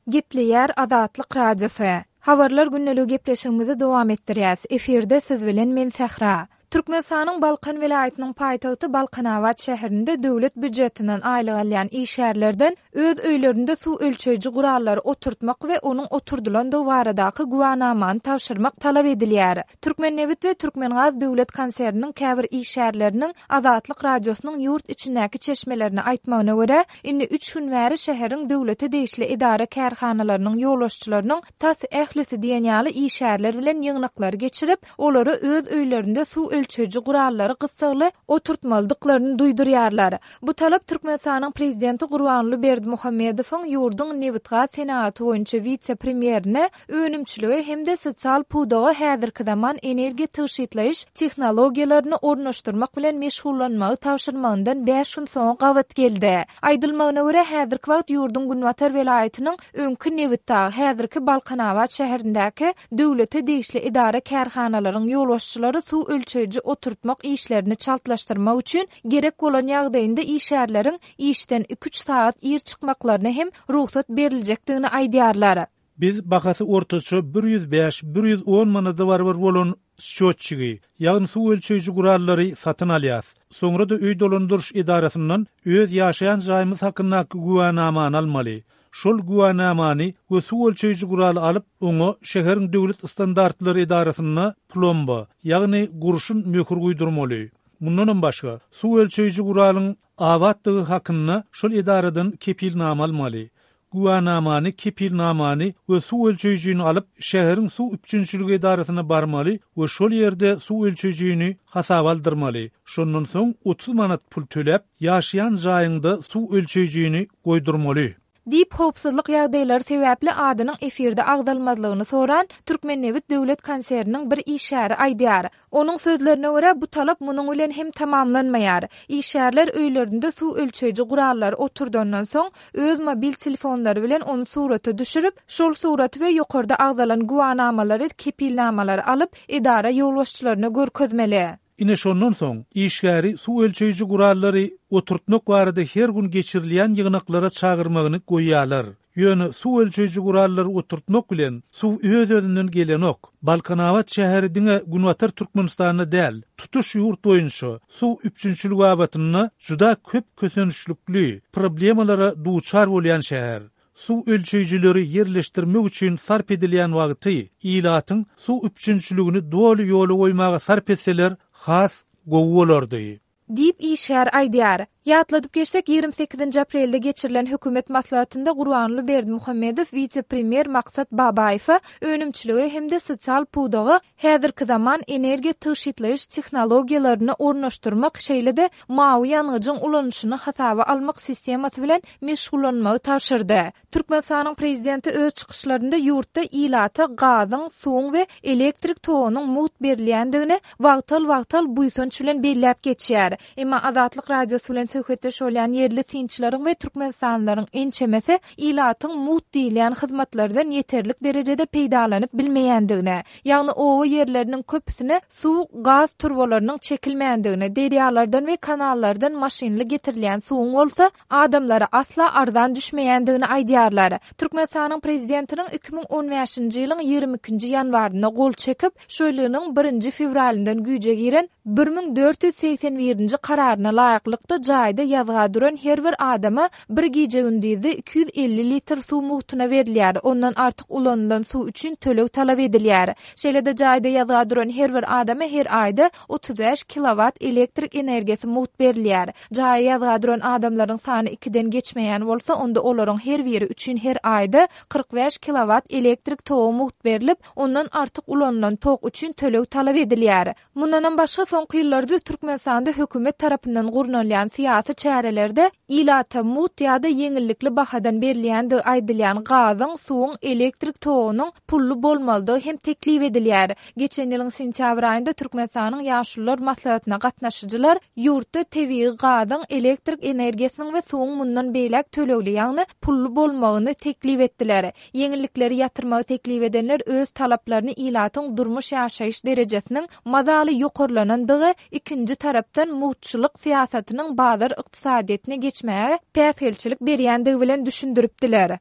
Gepleýär Azatlyk Radiosy. Habarlar gündeligi gepleşigimizi dowam etdirýäs. Efirde siz bilen men Sähra. Türkmenistanyň Balkan welaýatynyň paýtagty Balkanabat şäherinde döwlet býujetinden aýlyk alýan işgärlerden öz öýlerinde suw ölçeýji gurallary oturtmak we onuň oturdylandygy baradaky güwanamany tabşyrmak talap edilýär. Türkmennebit we Türkmengaz döwlet konserniniň käbir işgärleriniň Azatlyk Radiosynyň ýurt içindäki çeşmelerine aýtmagyna görä, indi üç gün bäri şäheriň döwlete degişli edara-kärhanalarynyň ýolbaşçylarynyň tas ählisi diýen ýaly işgärler bilen ýygnaklary geçirip, olara öz öýlerinde suw ölçeýji gurallary gyssagly oturtmalydyklaryny duýdurýarlar. Bu talap Türkmenistanyň Prezidenti Gurbanguly Berdimuhamedowyň ýurduň nebitgaz senagaty boýunça wise-premýerine önümçilige hem-de sosial pudaga häzirki zaman energiýa tygşytlaýyş tehnologiýalaryny ornaşdyrmak bilen meşgullanmagy tabşyrmagyndan bäş gün soňa gabat geldi. Aýdylmagyna görä, häzirki wagt ýurduň günbatar welaýatynyň öňki Nebitdag, häzirki Balkanabat şäherindäki döwlete degişli edara-kärhanalaryň ýolbaşçylary suw ölçeýji oturtmak işlerini çaltlaşdyrmak üçin gerek bolan ýagdaýynda işgärleriň işden iki-üç sagat ir çykmaklaryna hem rugsat beriljekdigini aýdýarlar. Biz bahasy ortaça 105, 110 manada barabar bolan sçýotçigi, ýagny suw ölçeýji gurallary satyn alýas. Soňra-da öý dolandyryş edarasyndan öz ýaşaýan jaýymyz hakyndaky güwänamany almaly. Şol güwänamany we suw ölçeýji guraly alyp, oňa şäheriň döwlet standartlary edarasynda plomba, ýagny gurşun möhür guýdurmaly. Mundanam başga, suw ölçeýji guralyň abatdygy hakynda şol edaradan kepilnama almaly. Güwänamany, kepilnamany we suw ölçeýjini alyp, şäheriň suw üpjünçiligi edarasyna barmaly we şol ýerde suw ölçeýjini hasaba aldyrmaly. Şondan soň 30 manat pul töläp, ýaşaýan jaýyňda suw ölçeýjini goýdurmaly. Diýip, howpsuzlyk ýagdaýlary sebäpli adynyň efirde agzalmazlygyny soran Türkmennebit döwlet konserniniň bir işgäri aýdýar. Onuň sözlerine görä, bu talap munuň bilen hem tamamlanmaýar. Işgärler öýlerinde suw ölçeýji gurallary oturdandan soň, öz mobil telefonlary bilen ony surata düşürip, şol suraty we ýokarda agzalan güwänamalary, kepilnamalary alyp, edara ýolbaşçylaryna görkezmeli. Ine şondan soň, işgäri suw ölçeýji gurallary oturtmak barada her gün geçirilýän ýygnaklara çagyrmagyny goýýarlar. Ýöne suw ölçeýji gurallary oturtmak bilen, suw öz-özünden gelenok. Balkanabat şäheri diňe Günbatar Türkmenistanda däl, tutuş ýurt boýunça suw üpjünçiligi babatynda juda köp kösençlikli problemalara duçar bolýan şäher. Suw ölçeýjileri ýerleşdirmek üçin sarp edilýän wagty ilatyň suw üpjünçiligini doly ýola goýmaga sarp etseler has gowy bolardy. Diýip, işgär aýdýar. Ýatladyp geçsek, 28-nji aprelde geçirilen hökümet maslahatynda Gurbanguly Berdimuhamedow wise-premýer Maksat Babaýewe önümçilige hem-de sosial pudaga häzirki zaman energiýa tygşytlaýyş tehnologiýalaryny ornaşdyrmak, şeýle-de mawy ýangyjyň ulanylyşyny hasaba almak sistemasy bilen meşgullanmagy tabşyrdy. Türkmenistanyň Prezidenti öz çykyşlarynda ýurtda ilata gazyň, suwuň we elektrik togunyň mugt berilýändigini wagtal-wagtal buýsanç bilen belläp geçýär. Emma Azatlyk Radiosy bilen söhbetdeş bolýan ýerli synçylaryň we türkmenistanlylaryň ençemesi ilatyň mugt diýilýän hyzmatlardan ýeterlik derejede peýdalanyp bilmeýändigini, ýagny oba ýerleriniň köpüsine suw, gaz turbalarynyň çekilmändigini, derýalardan we kanallardan maşynly getirilýän suwuň bolsa adamlara asla arzan düşmeýändigini aýdýarlar. Türkmenistanyň Prezidentiniň 2015-nji ýylyň 22-nji ýanwarynda gol çekip, şu ýylynyň birinji fewralyndan güýje giren 1481-nji Kararyna laýyklykda jaýda ýazga duran her bir adama bir gije-gündizde 250 litr suw mugtuna berilýär, ondan artyk ulanylan suw üçin töleg talap edilýär. Şeýle-de jaýda ýazga duran her bir adama her aýda 35 kilowat elektrik energiýasy mugt berilýär. Jaýa ýazga duran adamlaryň sany ikiden geçmeýän bolsa, onda olaryň her biri üçin her aýda 45 kilowat elektrik togy mugt berlip, ondan artyk ulanylan tok üçin töleg talap edilýär. Mundanam başga, soňky ýyllarda Türkmenistanda hökümet tarapyndan gurnalýan syýasy çärelerde ilata mugt ýa-da ýeňillikli bahadan berilýändigi aýdylýan gazyň, suwuň, elektrik togunyň pully bolmalydygy hem teklip edilýär. Geçen ýylyň sentýabr aýynda Türkmenistanyň Ýaşulular maslahatyna gatnaşyjylar ýurtda tebigy gazyň, elektrik energiýasynyň we suwuň mundan beýläk tölegli, ýagny pully bolmagyny teklip etdiler. Ýeňillikleri ýatyrmagy teklip edenler öz talaplaryny ilatyň durmuş-ýaşaýyş derejesiniň mazaly ýokarlanandygy, ikinji tarapdan mugtçulyk syýasatynyň bazar ykdysadyýetine geçmäge päsgelçilik berýändigi bilen düşündiripdiler.